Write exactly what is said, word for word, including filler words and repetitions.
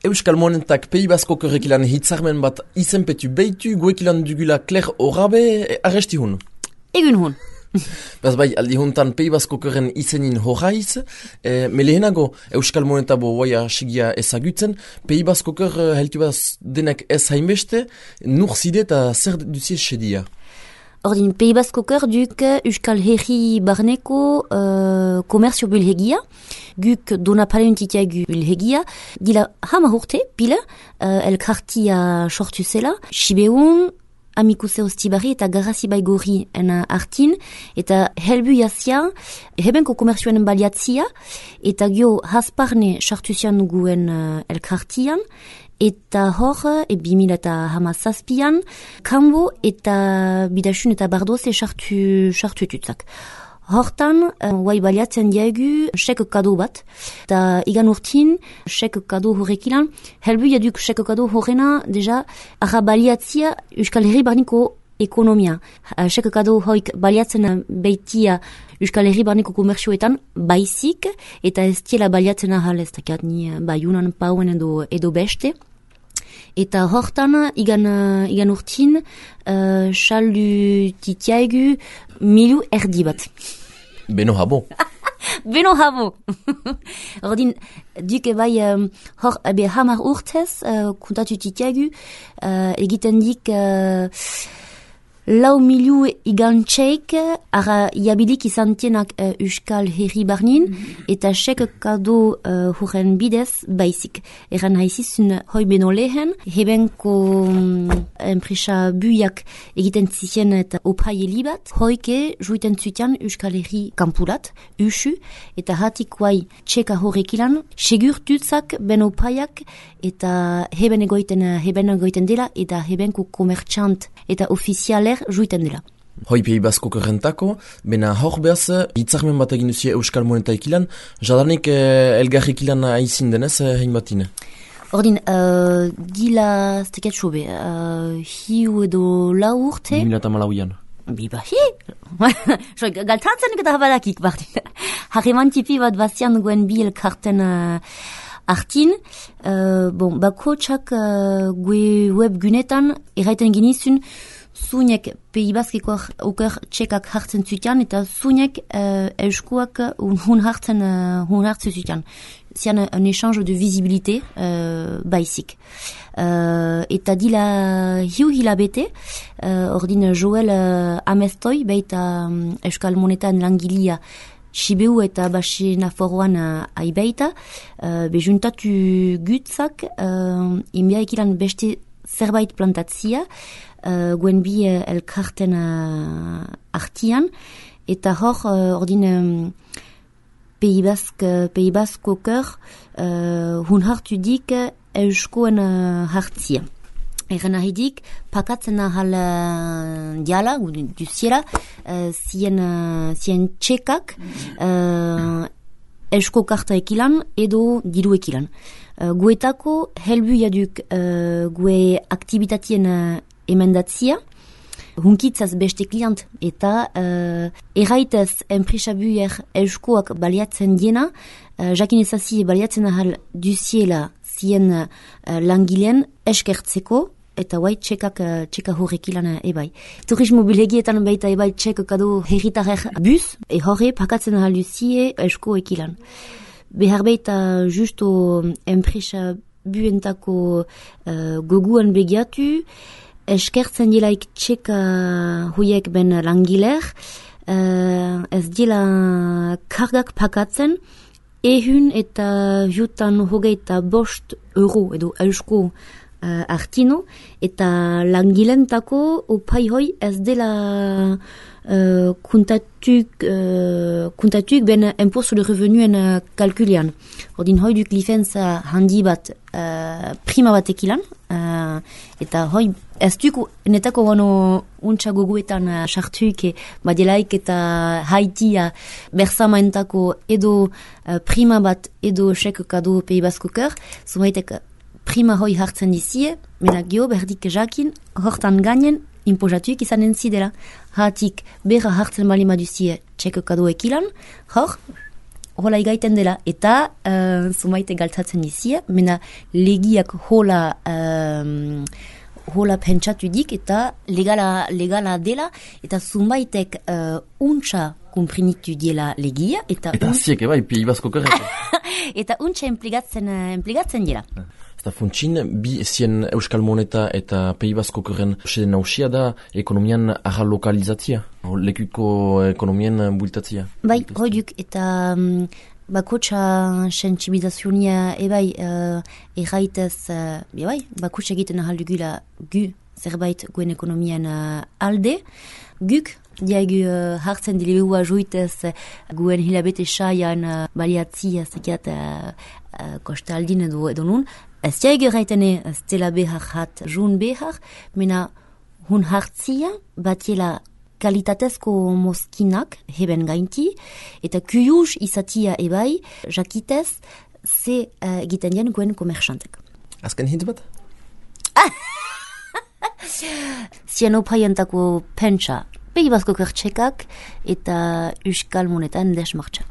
Euskal Monentak Pays Basko kerrekilan hitzarmen bat izenpetu beitu, guekilan dugula Claire Orabe, arresti hun. Egun hun. Baz bai, aldi huntan Pays Basko kerren izenin horraiz, e, melehenago Euskal Monetabo boia sigia ezagutzen, Pays Basko ker heltu baz denek ez hainbeste, nur zide eta zer duzie sedia. Ordin, Pays Basko ker duk Euskal Herri barneko uh, komerzio bulhegia, guk dona palentitiagu bulhegia, dila hama urte, pile, uh, elkartia sortu zela, Sibeun, amikuse ostibari eta garasi baigori en artin, eta helbu jazia, hebenko komerzioen baliatzia, eta gio hasparne sortu zian guen uh, elkartian, eta hor, e bimila eta hamazazpian, kanbo eta bidasun eta bardoz esartu etutzak. Hortan, guai baliatzen diagu sek kado bat, eta igan urtin, sek kado horrekilan, helbu jaduk sek kado horrena, deja, arra baliatzia Euskal Herri barniko ekonomia. Sek kado hoik baliatzen beitia Euskal Herri barniko komerzioetan baizik, eta ez tiela baliatzen ahal ez dakat ni baiunan pauen edo, edo beste. Eta hortan, igan, igan urtin, uh, saldu titiaigu milu erdi bat. Beno habo. Beno habo. Ordin, duke bai, um, hor, ebe hamar urtez, uh, kuntatu titiaigu, uh, egiten dik... Uh, Lau milu igan txeik, ara jabilik izan tienak uh, Euskal Herri barnin, mm-hmm. eta sek kado uh, huren bidez baizik. Eran haizizun hoi beno lehen, hebenko um, enpresa buiak egiten zizien eta opaieli bat, hoike juiten zutian Euskal Herri kampulat, usu, eta hatik guai txeka horrekilan, segurtutzak ben opaiak, eta heben egoiten, heben egoiten dela, eta hebenko komertxant eta ofizialer juiten dela. Hoi Pays Basko kerrentako, bena hor behaz, hitzarmen bat egin duzie Euskal Monetaik ilan, jadanik eh, elgarrik ilan aizin denez, eh, hein batine? Ordin, uh, gila steket sobe, uh, hiu edo lau urte... Bimila eta malauian. Biba, hi! Galtantzen eta habalakik, bardin. Harreman tipi bat bazian guen bi elkarten... Uh, Artin, uh, bon, bako txak uh, gue web gunetan erraiten genizun zunek Pays Baskeko oker txekak hartzen zutian eta zunek uh, euskuak hun hartzen uh, hun hartzen zutian. Zian un échange de visibilité uh, baizik. Uh, eta dila hiu hilabete, uh, ordin Joel uh, Amestoi, baita um, Euskal Monetan langilia Sibeu eta Basi Naforroan uh, aibaita, uh, bejuntatu gutzak, uh, inbiaikilan beste zerbait plantatzia, uh, guen bi uh, elkarten uh, artian, eta hor, uh, ordin um, Pays Bask, Pays Basko ker, uh, hun hartu dik euskoen uh, hartzia. Eran ahidik, pakatzen ahal uh, diala, du ziela, uh, zien, uh, zien txekak, uh, eusko karta ekilan edo diru ekilan. Uh, guetako helbu jaduk uh, gue aktivitatien uh, emendatzia, hunkitzaz beste klient eta uh, erraitez enpresabuer euskoak baliatzen diena, uh, jakin ezazi baliatzen ahal du ziela zien uh, langileen eskertzeko, eta guai txekak uh, txeka horrekilan uh, ebai. Turismo bilhegietan baita ebai txek kado herritarek bus, e horre pakatzen ahal duzie esko ekilan. Behar baita justo enpresa buentako uh, goguan begiatu, eskertzen dilaik txeka huiek ben langiler, uh, ez dila kargak pakatzen, ehun eta jutan hogeita bost euro edo eusko Uh, artino, eta langilentako opai hoi ez dela uh, kuntatuk, uh, kuntatuk ben imposto de revenuen uh, kalkulian. Ordin hoi duk lifenza handi bat uh, prima bat ekilan, uh, eta hoi ez duk netako gano untsa goguetan sartuik uh, badelaik eta haitia bersamaentako edo uh, prima bat edo sek kado Pays Basko ker, zumaitek prima hoi hartzen dizie, mena gio berdik jakin, hortan gainen, impozatuik izanen zidela. Hatik, berra hartzen balima duzie txeko kado ekilan, hor, hola igaiten dela, eta uh, zumaite galtatzen izia, mena legiak hola, um, hola pentsatu dik, eta legala, legala dela, eta zumaitek uh, untxa kumprinitu diela legia, eta... Eta aziek, eba, Pays Basque Okerreko. Eta untxa implikatzen, implikatzen dela. Eta funtsin, bi ezien Euskal Moneta eta Pays Basque Okerren seden nausia da ekonomian arra lokalizatzia, lekuko ekonomien bultatzia. Bai, hoiduk, eta... Um, bakotxa sensibilizazionia ebai uh, erraitez, uh, bai, bakotxa egiten ahaldugula gu zerbait guen ekonomian uh, alde, guk diagu uh, hartzen dilebua juitez uh, guen hilabete saian uh, baliatzia zekiat uh, uh, kostaldin edo, edo nun, ez diagu erraitene stela behar hat jun behar, mena hun hartzia batiela kalitatezko mozkinak heben gainti, eta kuyuz izatia ebai, jakitez, ze uh, egiten dien guen komerxantek. Azken hint bat? Zien opaientako pentsa, Pays Basque Okertxekak eta Euskal Monetan desmartxa.